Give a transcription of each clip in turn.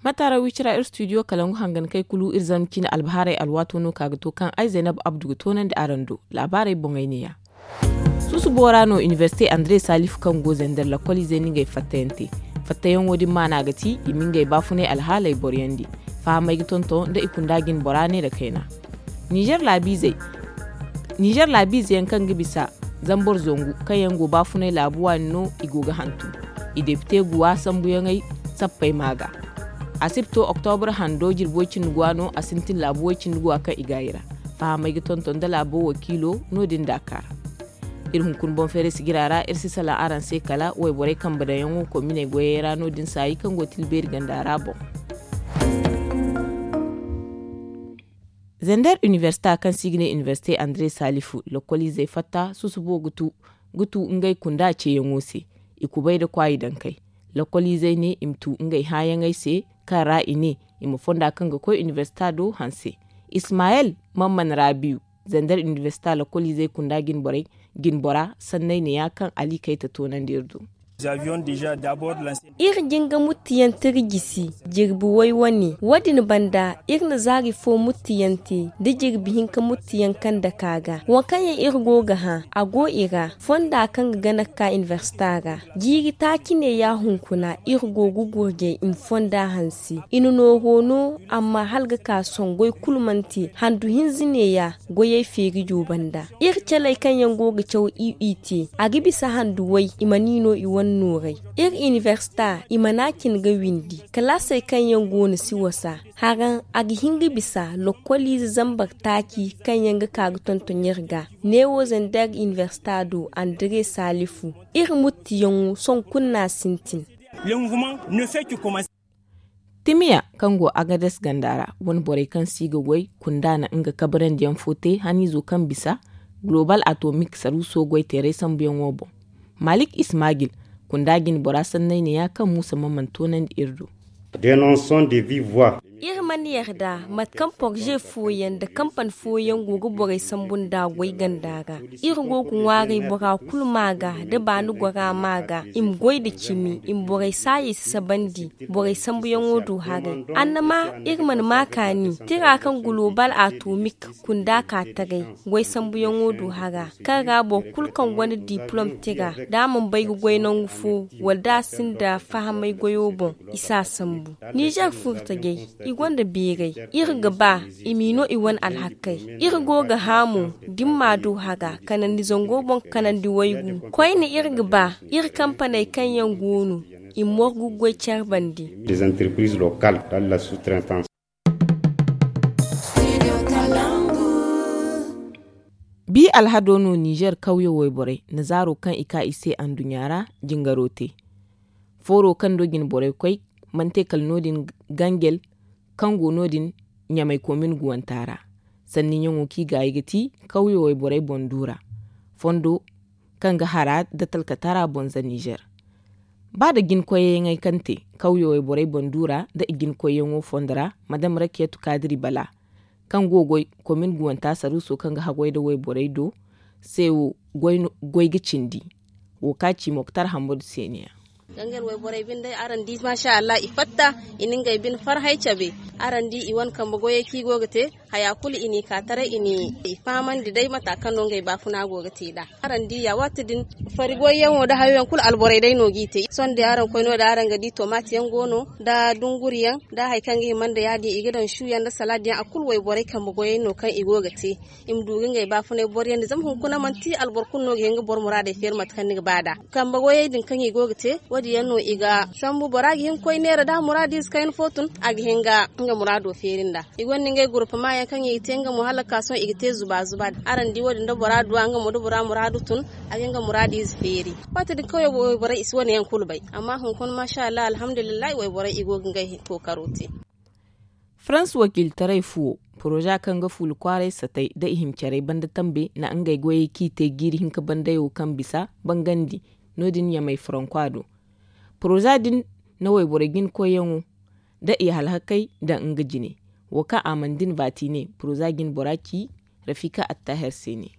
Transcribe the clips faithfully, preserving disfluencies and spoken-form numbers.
Mataara wicira ir studio kalangu hangan kay kulu ir zama cine albahaarey alwaato no ka ga to kaŋ ay zaynab abdu ga toonandi araŋ do. Laabaarey boŋey neeya. Susubo ra no iniversite andre salifu kaŋ go zender lakkoliizey na ngey fattayaŋ te. Fattayaŋo din maana ga ti i ma ngey baafunay alhaaley boroyandi. Fahamey ga tonton nda i kunda jine bora ne nda kayna. Nizer laabiizey nizer laabiize yaŋ kaŋ ga bisa zambor zangu kaŋ yaŋ go baafunay laabu waani no i go ga hantum. I depite guwa sambuyaŋey sappey ma ga. A si ga to oktobur hando jirbi way-cindi guwa no a sintin laabu way-cindi guwa kaŋ i gaayi ra. Fahamey ga tonton nda laabo wakiilo no- din daaka ra. Iri hunkuna boŋ feeray sigira ra iri si salaŋ araŋ se kala wayborey kambe daŋyaŋo kominey goyey ra no- din saayi kaŋ go tilbeeri ganda ra boŋ. Zender iniversita kaŋ se i ga ne iniversite andre salifu lakkoliizey fatta susubo ga tu ngey kunda ceeyaŋo se. I kubay nda kwaayi dankey. Lakkoliizey ne i ma tu ngey hããyaŋey se kaŋ ra i ne i ma fonda kaŋ ga koy iniversita do hanse. Ismayel mamman rabiyu, zender iniversita lakkoliizey kunda jine bora sanney neeya kaŋ ali kay ta toonandi iri do. Iri jin ga muttiyaŋ tira jisi jirbi way wane wo- din banda iri na zaari fo muttiyaŋ te nda jirbi hinka muttiyaŋ kaŋ dake a ga waŋ kaŋ yaŋ iri go ga hã a go i ra. Fonda kaŋ ga gana ga ka iniversita ra jiiri taaci neeya hunkuna iri go ga gurjay i ma fonda hanse i na nooro no. Amma hala ga ka sohõ goy kulu mana te handu hinza neeya goyey feerijo banda. Iri caley kaŋ yaŋ go ga caw i te a ga bisa handu way i mana i no i wane nooray. Iri iniversita i mana a cine ga windi kalaasey kaŋ yaŋ go no si wasa. Haraŋ a ga hin ga bisa lokkoliize zambar taaci kaŋ yaŋ ga ka ga tonton iri ga. Neewo zender iniversita do andre salifu iri muttiyaŋo sohõ kulu no a sintin. Timiya kaŋ go agades ganda ra wane borey kaŋ si ga goy kunda na nga kabarandiyaŋ fo te haniizo kaŋ bisa global atomik saruuso goyteeray sambuyaŋo boŋ. Malik ismagil kunda jine bora sanney neeya kaŋ muusa ma mana toonandi iri do. Iri mana yarda mate kaŋ porze fooyaŋ nda kampani fooyaŋ go ga borey sambu nda goy ganda ra. Iri go ga ŋwaaray bora kulu ma ga da baani gora ma ga i ma goy nda cimi i ma borey saayey sasabandi. Borey sambuyaŋo du haray annama iri mana ma kaani tira kaŋ global atomik kunda ka taray. Goy sambuyaŋo du hara kaŋ ra boro kulu kaŋ gonda diplom tira da a mana bay ga goy nangu fo wala da a sinda fahamay goyo boŋ i si a sambu. Nizer furtajey i gonda beeray iri ga ba i m'i no i wane alhakkey. Iri go ga hã mo da ni m'a du hara kanandi zango boŋ kanandi waygu koyne iri ga ba iri kampaney kaŋ yaŋ go no i ma morgu goy care bande. Bi alhado no nizer kawyo wayborey na zaaro kaŋ i ka i se anduɲɲa ra jingaro te. Fooro kaŋ do jine borey koy mana te kala no- din ganjel kaŋ go no- din ɲamay komin guwanta ra. Sanniyaŋo kaŋ i gaayi ga ti kawyo wayborey boŋ du ra fondo kaŋ ga hara nda talkatara boŋ za nizer. Ba nda jine koyyaŋey kaŋ te kawyo wayborey boŋ du ra nda i jine koyyaŋo fondo ra madam rakiyatu kaadiri bala kaŋ go ga goy komin guwanta saruuso kaŋ ga haggoy nda wayborey do se wo goy ga cindi. Wo ka ci moktar hammadu se ne ya. Gangar wayborey binde araŋ di maasa allah i fatta i na ngey bine farhey cabe. Araŋ di i wane kambe goyey kaŋ i go ga te haya kulu i n'i ka taray i n'i fahamandi day mata kaŋ no ngey baafuna go ga te nd'a. Araŋ di ya waati din fari goyyaŋo nda hayoyaŋ kulu alborey day no g'i te sohõ day araŋ koy no- din araŋ ga di tomaati yaŋ go no nda dunguri yaŋ nda hari kaŋ ga hima nda ya- din i ga daŋ su yaŋ nda salaadi yaŋ a kulu wayborey kambe goyey no kaŋ i go ga te. I ma du ga ngey baafunay boro yaŋ nda zama hunkuna manti alboro kulu no ga hin ga boro muraadey feeri mate kaŋ ni ga ba nd'a. Kambe goyey din kaŋ i go ga te wo- din yaŋ no i ga sambu bora ga hin ga koy neera da muraadiize kayna fo tun a ga hin ga nga muraado feeri nd'a. I gonda ngey gurupama yaŋ kaŋ i ga te nga mo hala ga ka sohõ i ga te zuba zuba. Araŋ di wo- din da bora du a nga mo da bora muraadu tun a ga hin ga muraadiize feeri. Waati din kawyo wayborey i si wane yaŋ kulu bay amma hunkuna maasa allah alhamdulillahi wayborey i go ga ngey kookaro te. Farans wakiilitaray fuwo poroza kaŋ ga fuula kwaaray satay nda i hima carey banda tambe na ngey goyey kaŋ i te jiiri hinka bandey wo kaŋ bisa bangandi. No- din ɲamay farankwa do poroza din na wayborey jina koyyaŋo nda i halhakey daŋ nga jine. Wo kaŋ a mana din baati ne poroza jina bora ci rafika attaher se ne.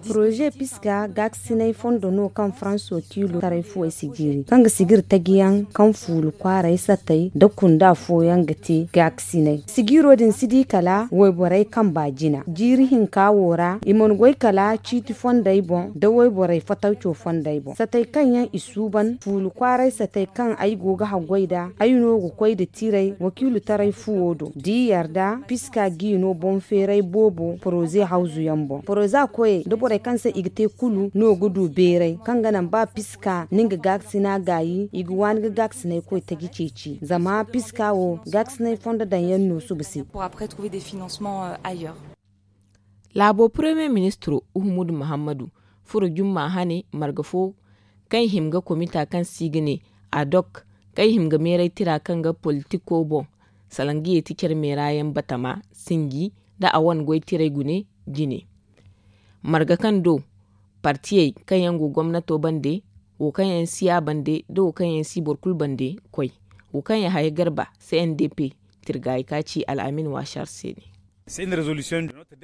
Projet piska gaakasinay fondo no kaŋ faranso tiilo taray fuwey si jiiri kaŋ ga sijiri tajiyaŋ kaŋ fuulu kwaaray satay nda kunda fooyaŋ ga te gaakasinay. Sijiro din si di kala wayborey kamba jina jiiri hinka wo ra i mana goy kala ciiti fondey boŋ nda wayborey fatawco fondey boŋ satay kaŋ yaŋ i suuban fuulu kwaaray satay kaŋ ay go ga haggoy nd'a ay no ga koy nda tiray wakiilu taray fuwo do da i yarda piska g'i no boŋ feeray boobo poroze hawzu yaŋ boŋ poroza koyey nda borey kaŋ se i ga te kulu no ga du beeray kaŋ ga naŋ ba piska ni nga gaakasina gaayi i ga waani ga gaakasinay koy taji ceeci zama piska wo gaakasinay fondo daŋ yaŋ no suba se. Laabo paramiye ministiro uhumudu muhammadu furo jumma hane marga fo kaŋ i hima ga komita kaŋ se i ga ne adok kaŋ i hima ga meeray tira kaŋ ga politiko boŋ salaŋ ga yeeti care meera yaŋ batama sinji nda a wane goy tiray gune jine marga kaŋ do partiyey kaŋ yaŋ go gomnato bande wo kaŋ yaŋ si a bande nda wo kaŋ yaŋ si boro kulu bande koy wo kaŋ yaŋ haya garba cndp tirgaayi ka ci al'amin waasar se ne.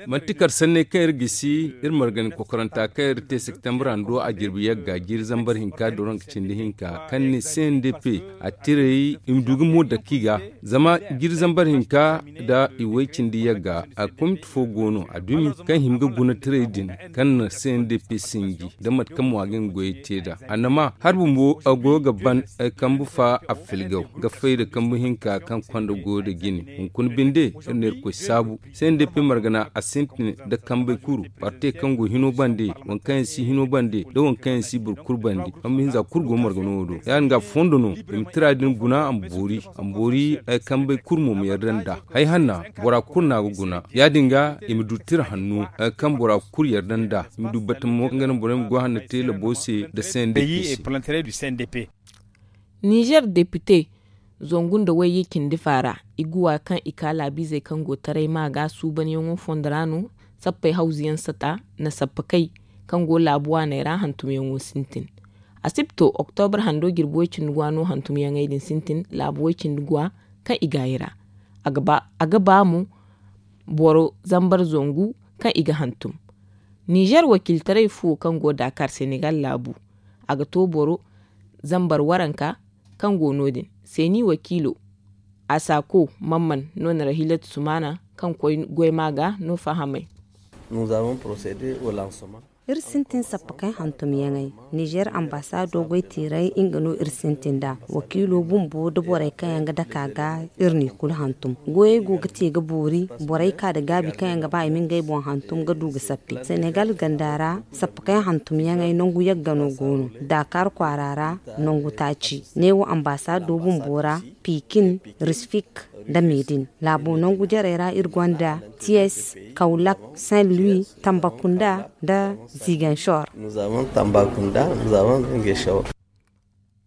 Manti kar sanney kaŋ iri gisi iri margani kokoranta kaŋ iri te septembre hando a jirbi yagga jiiri zambar hinka doronka cindi hinka kaŋ ne cndp a tiray i ma du ga mo dake i ga zama jiiri zambar hinka nda i way cindi yagga a komiti fo go no a dumi kaŋ hima ga guna tiray din kaŋ na cndp sinji nda mate kaŋ mo a ga nga goyey te nd'a annama hari bumbo a go ga ban kambu fa a filgaw ga fay nda kambu hinka kaŋ konda goyo nda jine hunkuna binde iri na irkoy saabu. Cndp margana a sintin nda kambey kuru parti kaŋ go hino bande waŋ kaŋ yaŋ si hino bande nda waŋ kaŋ yaŋ si boro kulu bande kambu hinza kulu go margano wo do ya- din ga fondo no i ma tira din guna a ma boori a ma boori kambey kulu mo ma yarda nd'a. Hay hanna bora kulu no a ga guna ya- din ga i ma du tira hanno kaŋ bora kulu yarda nd'a i ma du batamo kaŋ ga naŋ borey ma goy hanno te labo se nda cndp se. Nizer depite zangu nda wayye cindi fa ra iguwa kaŋ i ka laabiizey kaŋ go taray ma ga suubanyaŋo fondo ra no sappey hawzuyaŋ sata na sappakey kaŋ go laabu waaney ra hantumyaŋo sintin. Asipto oktobar hando jirbi way cindi guwa no hantumyaŋey din sintin laabu way cindi guwa kaŋ i gaayi ra. A ga ba mo boro zambar zangu kaŋ i ga hantum. Nizer wakiiltaray fuwo kaŋ go daakar senegal laabu a ga to boro zambar waranka kaŋ go no- din seeni wakiilo asako mamman no na rahilatu sumana kaŋ koy goyma ga no fahamay. Iri sintin sappa kaŋ hantumyaŋey nizer ambasaado goyteeray nga no iri sintin nd'a wakiilo bumbo nda borey kaŋ yaŋ ga dake a ga iri n'i kulu hantum. Goyey go ga te ga boori borey ka nda gaabi kaŋ yaŋ ga ba i ma ngey boŋ hantum ga du ga sappi senegal ganda ra. Sappa kaŋ hantumyaŋey nangu yagga no go no daakar kwaara ra nangu taaci neewo ambasaado bumbo ra pikin risfik nda medin. Laabo nangu jarey ra iri gonda tiyes, kawlak, saint louis, tambakunda nda ziganshor.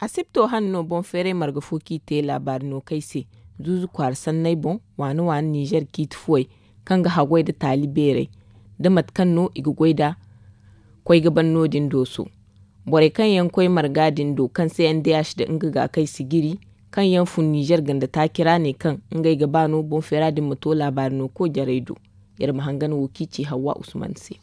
Asipto hane no boŋ feeray marga fo kaŋ i te laabaari no kay se zuuzu kwaara sanney boŋ waani waani nizer ciiti fuwey kaŋ ga haggoy nda taali beerey nda mate kaŋ no i ga goy nd'a koy ga ban no- din dooso. Borey kaŋ yaŋ koy marga din do kaŋ se n d h da nga ga kay sijiri kaŋ yaŋ fun nizer ganda taaci ra ne kaŋ ngey ga ba no boŋ feera din ma to laabaari no ko jarey do. Iri ma hangan wo kaŋ i ci hawwa usman se.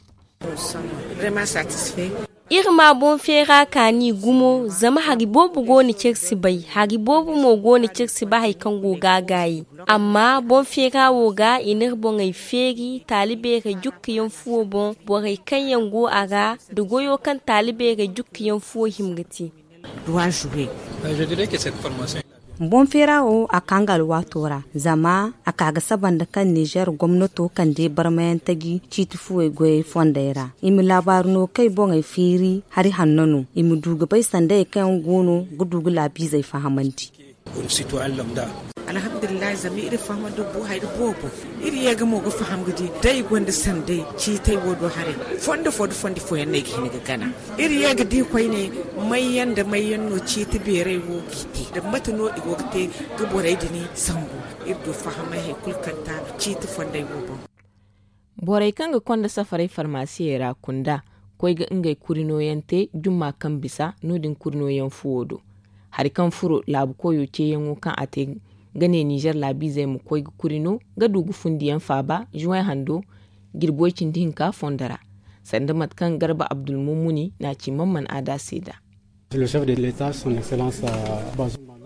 Iri ma boŋ feera kaani gumo zama hari boobo go no kaŋ iri si bay hari boobo mo go no kaŋ iri si bay hari kaŋ go ga a gaayi. Amma boŋ feera wo ga i n'iri boŋey feeri taali beerey jukkiyaŋ fuwo boŋ borey kaŋ yaŋ go a ra nda goyo kaŋ taali beerey jukkiyaŋ fuwo hima ga te. Boŋ feera wo a ka nga alwaato ra zama a ka ga saba nda kaŋ nizer gomnato kande barmayaŋ taji ciiti fuwey goyey fondey ra i ma laabaari no kaŋ i boŋey feeri hari hanno no i ma du ga bay sandayey kaŋ yaŋ go no ga du ga laabiizey fahamandi. Alhamdulillahi zama iri faham da bu hari boobo. Iri ye ga mo ga faham ga di da i gonda sanday ciitay wo do haray fondo fo da fondi fooyaŋ no ay ga hin ga gana. Iri ye ga di koyne mayyaŋ da mayyaŋ no ciiti beeray wo ga i te da mate no i go ga te ga borey din sambu. Iri du fahamay hari kulu kaŋ ta ciiti fonday wo boŋ. Borey kaŋ ga konda safaray farmasiyey ra kunda koy ga ngey kuri nooyaŋ te jumma kaŋ bisa no-din kuri nooyaŋ fuwo do. Hari kaŋ furo laabu koyo ceeyaŋo kaŋ a te ga ne nizer laabiizey ma koy ga kuri no ga du ga fundiyaŋ faaba juway hando. jirbi way cindi hinka fondo ra, sanda mate kaŋ Garba Abdulmumuni na ci Mamman Ada se nd'a.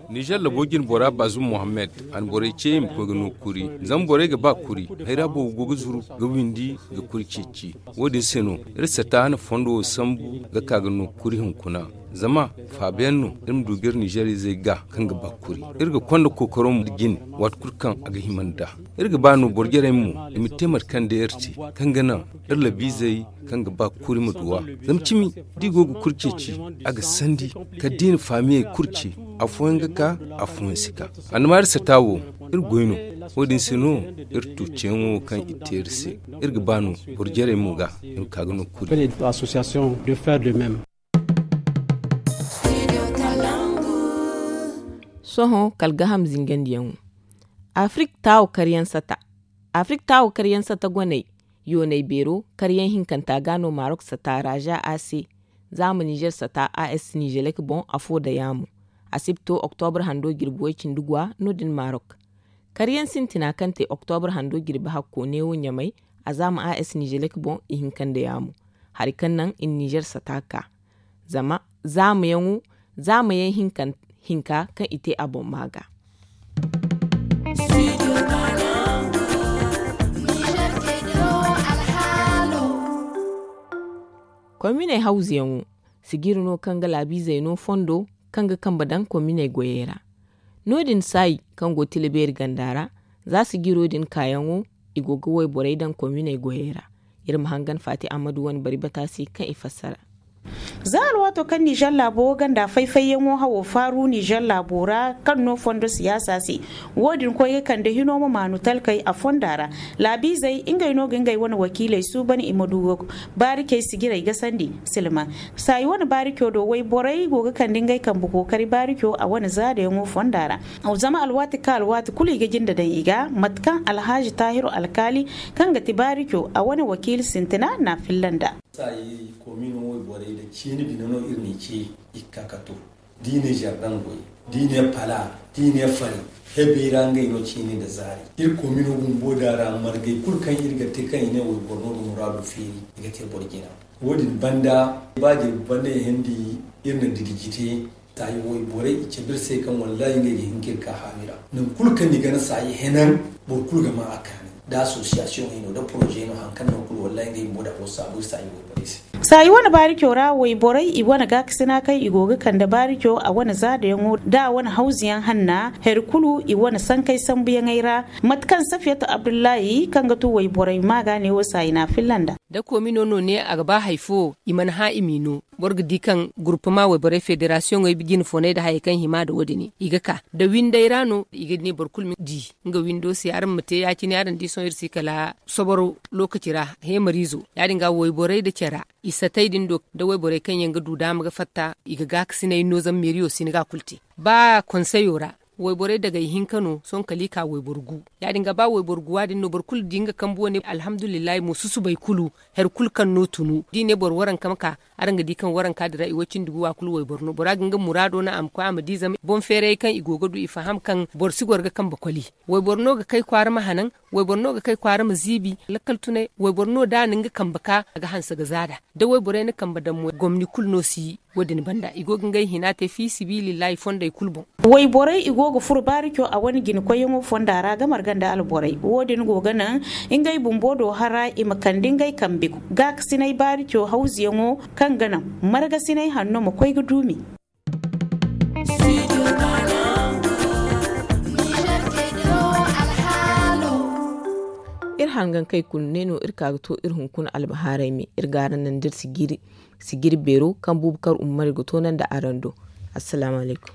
Nizer labo jine bora Bazum Mohammed, a na borey ce i ma koy ga no kuri. Zama borey ga ba kuri, hayra boobo go ga zuru ga windi ga kuri ceeci. Wo-din se no iri sata na fondo wo sambu ga ka ga no kuri hunkuna. Zama faabayaŋ no iri ma du ga iri Nizer izey ga kaŋ ga ba kuri. Iri ga konda kookaro mo jine, waati kulu kaŋ a ga hima nd'a. Iri ga ba no boro jarey mo i ma te mate kaŋ day iri te, kaŋ ga naŋ iri labiizey kaŋ ga ba kuri ma duw'a. Zama cimi da i go ga kuri ceeci, a ga sandi kala da i na faamiyey kuri ce, afooyaŋ ga ka, afooyaŋ si ka. Annabaari sata wo, iri goy no. Wo-din se no iri tu ceeyaŋo kaŋ i te iri se. Iri ga ba no boro jarey mo ga i ma ka ga no kuri. Sohõ kala gaaham zingandiyaŋo. Afrik taawo karyaŋ sata. Afrik taawo karyaŋ sata goney, yoonay beero karyaŋ hinkanta ga no Marok sata Raja A C, zaama Nizer sata A S Nizelek boŋ afo da yaamo. Asibto Oktobra hando jirbi way cindi guwa no-din Marok. Karyaŋ sintina kaŋ te Oktobra hando jirbi hakko neewo Ɲamay, a zaama A S Nizelek boŋ ihinka nda yaamo. Hari kaŋ naŋ i na Nizer sata ka. Zama zaamayaŋo, zaamayaŋ hinka kaŋ i te a boŋ ma ga. Kominey hawzuyaŋo, sijiri no kaŋ ga laabiizey no fondo kaŋ ga kambe daŋ kominey goyey ra. No-din saayi kaŋ go tila beeri ganda ra, za sijiro din kaayaŋo, i go ga wayborey daŋ kominey goyey ra. Iri ma hangan Faati Ammadu wane bari bata se kaŋ i fassara. Za alwaato kaŋ Nizer laabo ganda fay-fayyaŋo hawo faaru Nizer laabo ra kaŋ no fondo siyaasa se, wo-din koy ga kande hino ma maanu talkey a fonda ra. Laabiizey ngey no ga ngey wane wakiiley suuban i ma du ga baaricey sijirey gasandi silma. Saayi wane baarico do wayborey go ga kande ngey kambe kookari baarico a wane zaadayaŋo fonda ra. Zama alwaati ka alwaati kulu i ga jinde daŋ i ga, mate kaŋ Alhaji Taahiru Alkaali kaŋ ga ti baarico a wane wakiili sintina na a filla nd'a. Saayi komino wayborey da ciini bine no iri n'i ce i ga ka ka to. Da i ne zardaŋ goy, da i ne pala, da i ne fari, hebey ra ngey no ciini nda zaari. Iri komino bumbo da ra margey kulu kaŋ iri ga te kaŋ i ne wayboro no ga muraadu feeri, i ga te boro jina. Wo-din banda, ba jirbi banda i hindi iri na didiji te. Saayi wayborey i cabe iri se kaŋ wallahi ngey ga hin ka iri ka haawi ra. Nangu kulu kaŋ ni gana saayi henan, boro kulu ga ma a kaani. Da association hino, da projet hino, haŋ kaŋ no kulu wallahi ngey bumbo da afo saabu iri saayi wayborey se. Saayi wane baarico ra wayborey i wane gaakasina kaŋ i go ga kande baarico a wane zaadayaŋo da a wane hawzuyaŋ hanna, hari kulu i wane sankey sambuyaŋey ra. Mate kaŋ Safiyatu Abdullahi kaŋ ga tu wayborey ma ga ne wo saayi na a filla nd'a. Da komino no ne a ga ba hari fo i mana hã i m'i no. Boro ga di kaŋ gurupama wayborey federasiyoŋey jine fooney nda hayey kaŋ hima nda wo-din i ga ka nda windey ra no i ga ne boro kulu ma di nga windo se araŋ ma te ya-cine araŋ di sohõ iri si kala soboro lookaci ra heemariizo. Ya-din ga wayborey nda care i satey din do nda wayborey kaŋ yaŋ ga du daama ga fatta i ga gaakasinay no zama meeriyo si ni ga a kulu te. Ba konseyo ra wayborey dagay hinka no sohõ kala i ka wayboro gu. Ya-din ga ba wayboro guwa din no boro kulu di nga kambu wane alhamdulillahi mo susubay kulu. Hari kulu kaŋ no tunu da i ne boro waranka ma ka araŋ ga di kaŋ waranka din ra i way cindi guwa kulu wayboro no bora ga nga muraado naŋ a ma koy a ma di zama boŋ feerayey kaŋ i go ga du i faham kaŋ boro si goro ga kambe koli. Wayboro no ga kay kwaara ma hanaŋ. Wayboro no ga kay kwaara ma ziibi. Lakkal tunay wayboro no da a na nga kambe ka a ga hanse ga zaada da wayborey na kambe daŋ mo gomni kulu no si. Wo-din banda i go ga ngey hina te fi sibilillahi fondey kulu boŋ. Wayborey i go ga furo baarico a wane jina koyyaŋo fonda ra ga marga nda alborey wo-din go ga naŋ ngey bumbo do hara i ma kande ngey kambe gaakasinay baarico hawzuyaŋo kaŋ ga naŋ margasinay hanno ma koy ga duumi. Iri hangankey kulu ne no iri ka ga to iri hunkuna albahaarey me iri ga araŋ naŋ da iri sijiri beero kaŋ bubakar ummari ga toonandi araŋ do. Assalaamu alaykum.